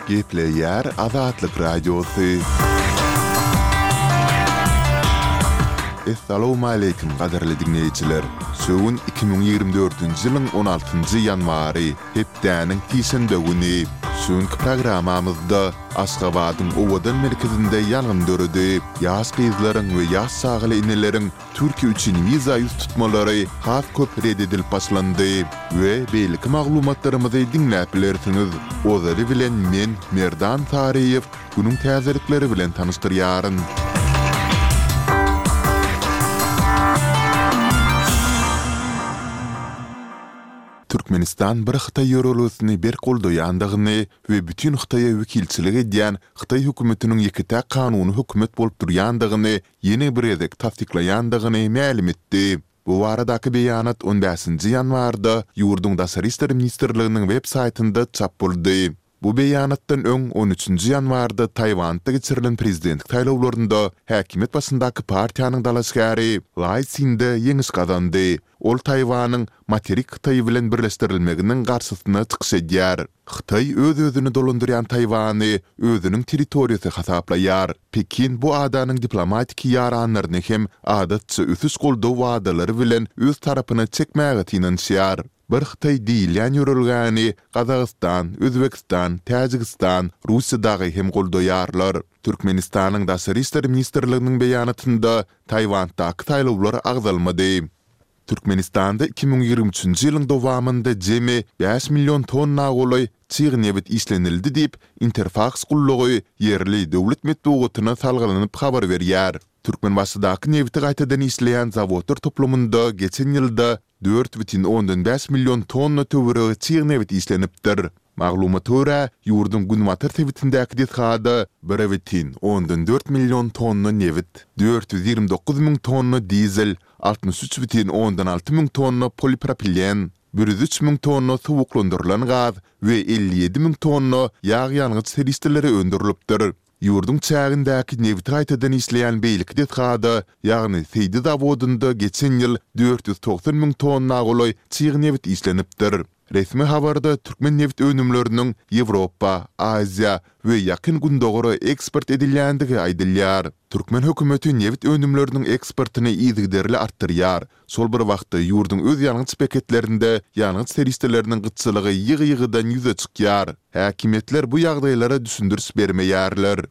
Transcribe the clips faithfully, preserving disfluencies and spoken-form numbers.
Gepleýär Azatlyk Radiosy. Essalawmaleýkim gadyrly diňleýjiler! Şu gün iki müň ýigrimi dördünji ýylyň on altynjy ýanwary, hepdäniň sişenbe güni. Şu günki programmamyzda Aşgabadyň owadan merkezinde ýangyn döredi. Ýaş gyzlaryň we ýaş çagaly eneleriň Türkiýe üçin wiza ýüz tutmalary has köp ret edilip başlandy we beýleki maglumatlarymyzy diňläp bilersiňiz. Ozaly bilen men, Merdan Saryýew, günüň täzelikleri bilen tanyşdyrýaryn. Türkmenistan bir Hytaý ýörelgesini berk goldaýandygyny we bütin Hytaýa wekilçilik edýän Hytaý hökümetiniň ýeke-täk kanuny hökümet bolup durýandygyny ýene bir gezek tassyklaýandygyny mälim etdi. Bu baradaky beýanat on bäşinji ýanwarda ýurduň Daşary işler ministrliginiň web saýtynda çap boldy. Bu beýanatdan öň, on üçünji ýanwarda Taýwanda geçirilen prezidentlik saýlawlarynda häkimiýet başyndaky partiýanyň dalaşgäri Laý Sinde ýeňiş gazandy. Ol Taýwanyň materik Hytaý bilen birleşdirilmeginiň garşysyna çykyş edýär. Hytaý öz-özüni dolandyrýan Taýwany özüniň territoriýasy hasaplaýar. Pekin bu adanyň diplomatiki ýaranlaryny hem adatça ösüş goldaw wadalary bilen öz tarapyna çekmäge synanyşýar. Bir Hytaý diýilýän ýörelgäni Gazagystan, Özbegistan, Täjigistan, Russiýa dagy hem goldaýarlar. Türkmenistanyň Daşary işler ministrliginiň beýanatynda Taýwanddaky saýlawlar agzalmady. Türkmenistanda iki müň ýigrimi üçünji ýylyň dowamynda jemi bäş million tonna golaý çig nebit işlenildi diýip, Interfaks gullugy ýerli döwlet metbugatyna salgylanyp habar berýär. Türkmenbaşydaky nebiti gaýtadan işleýän zawodlar toplumynda geçen ýylda dört bütin ondan bäş million tonna töweregi çig nebit işlenipdir. Maglumata görä, ýurduň günbatar sebitindäki desgada bir bütin ondan dört million tonna nebit, dört ýüz ýigrimi dokuz müň tonna dizel, altmyş üç bütin ondan alty müň tonna polipropilen, bir ýüz üç müň tonna suwuklandyrylan gaz we elli ýedi müň tonna ýag-ýangyç serişdeleri öndürilipdir. Ýurduň çägindäki nebiti gaýtadan işleýän beýleki desgada, ýagny Seýdi zawodynda geçen ýyl dört ýüz togsan müň tonna golaý çig nebit işlenipdir. Resmi habarda türkmen nebit önümleriniň Ýewropa, Aziýa we Ýakyn Gündogara eksport edilýändigi aýdylýar. Türkmen hökümeti nebit önümleriniň eksportyny yzygiderli artdyrýar. Şol bir wagtda, ýurduň öz ýangyç beketlerinde ýangyç serişdeleriniň gytçylygy ýygy-ýygydan ýüze çykýar. Häkimiýetler bu ýagdaýlara düşündiriş bermeýärler.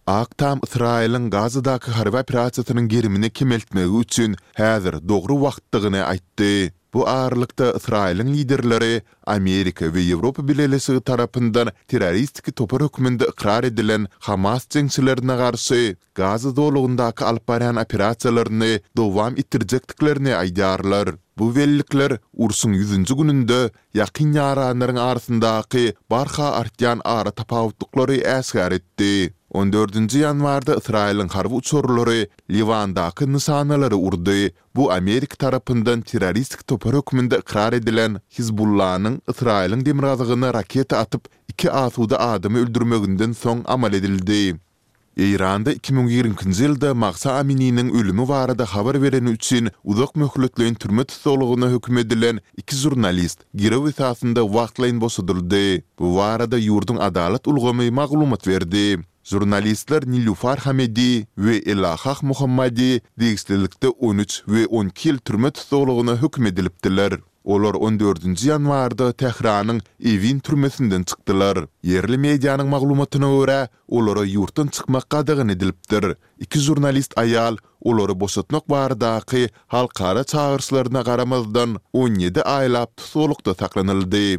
Ak Tam Ysraýylyň Gazadaky harby operasiýasynyň gerimini kemeltmegi üçin häzir dogry wagtdygyny aýtdy. Bu aralykda, Ysraýylyň liderleri Amerika we Ýewropa Bileleşigi tarapyndan terroristik topar hökmünde ykrar edilen Hamas jeňçilerine garşy Gaza zolagyndaky alyp barýan operasiýalaryny dowam etdirjekdiklerini aýdýarlar. Bu bellikler urşuň ýüzünji gününde ýakyn ýaranlaryň arasyndaky barha artýan aratapawutlyklary äşgär etdi. On dördünji ýanwarda Ysraýylyň harby uçarlary Liwandaky nyşanalary urdy. Bu Amerika tarapyndan terroristik topar hökmünde ykrar edilen Hizbullanyň Ysraýylyň demirgazygyna raketa atyp, iki asuda adamy öldürmeginden soň amal edildi. Eýranda iki müň ýigrimi ikinji ýylda Mahsa Amininiň ölümi barada habar bereni üçin uzak möhletleýin türme tussaglygyna höküm edilen iki žurnalist girew esasynda wagtlaýyn boşadyldy. Bu barada ýurduň adalat ulgamy maglumat berdi. Žurnalistler Nilýufar Hamedi we Elahah Mohammadi degişlilikde on üç we on iki ýyl türme tussaglygyna höküm edilipdiler. Olar on dördünji ýanwarda Tähranyň Ewin türmesinden çykdylar. Ýerli medianyň maglumatyna görä, olara ýurtdan çykmak gadagan edilipdir. Iki žurnalist aýal olary boşatmak baradaky halkara çagyryşlaryna garamazdan, on ýedi aýlap tussaglykda saklanyldy.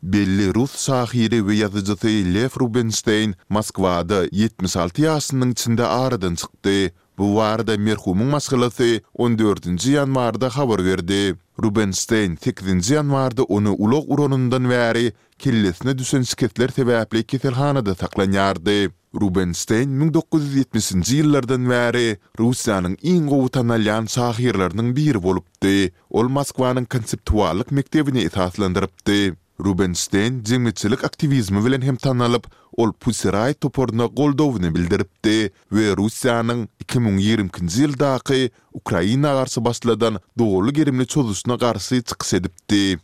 Belli rus şahyry we ýazyjysy Lew Rubenşteýn Moskwada ýetmiş alty ýaşynyň içinde aradan çykdy. Bu barada merhumyň maşgalasy on dördünji ýanwarda habar berdi. Rubenşteýn sekizinji ýanwarda ony ulag uranyndan bäri kellesine düşen şikesler sebäpli keselhanada saklanýardy. Rubenşteýn müň dokuz ýüz ýetmişinji ýyllardan bäri Russiýanyň iň gowy tanalýan şahyrlarynyň biri bolupdy. Ol Moskwanyň konseptuallyk mekdebini esaslandyrypdy. Rubenşteýn jemgyýetçilik aktiwizmi bilen hem tanalyp, ol Pussy Riot toparyna goldawyny bildiripdi we Russiýanyň iki müň ýigrimi ikinji ýyldaky Ukraina garşy başladan doly gerimli çozuşyna garşy çykyş edipdi.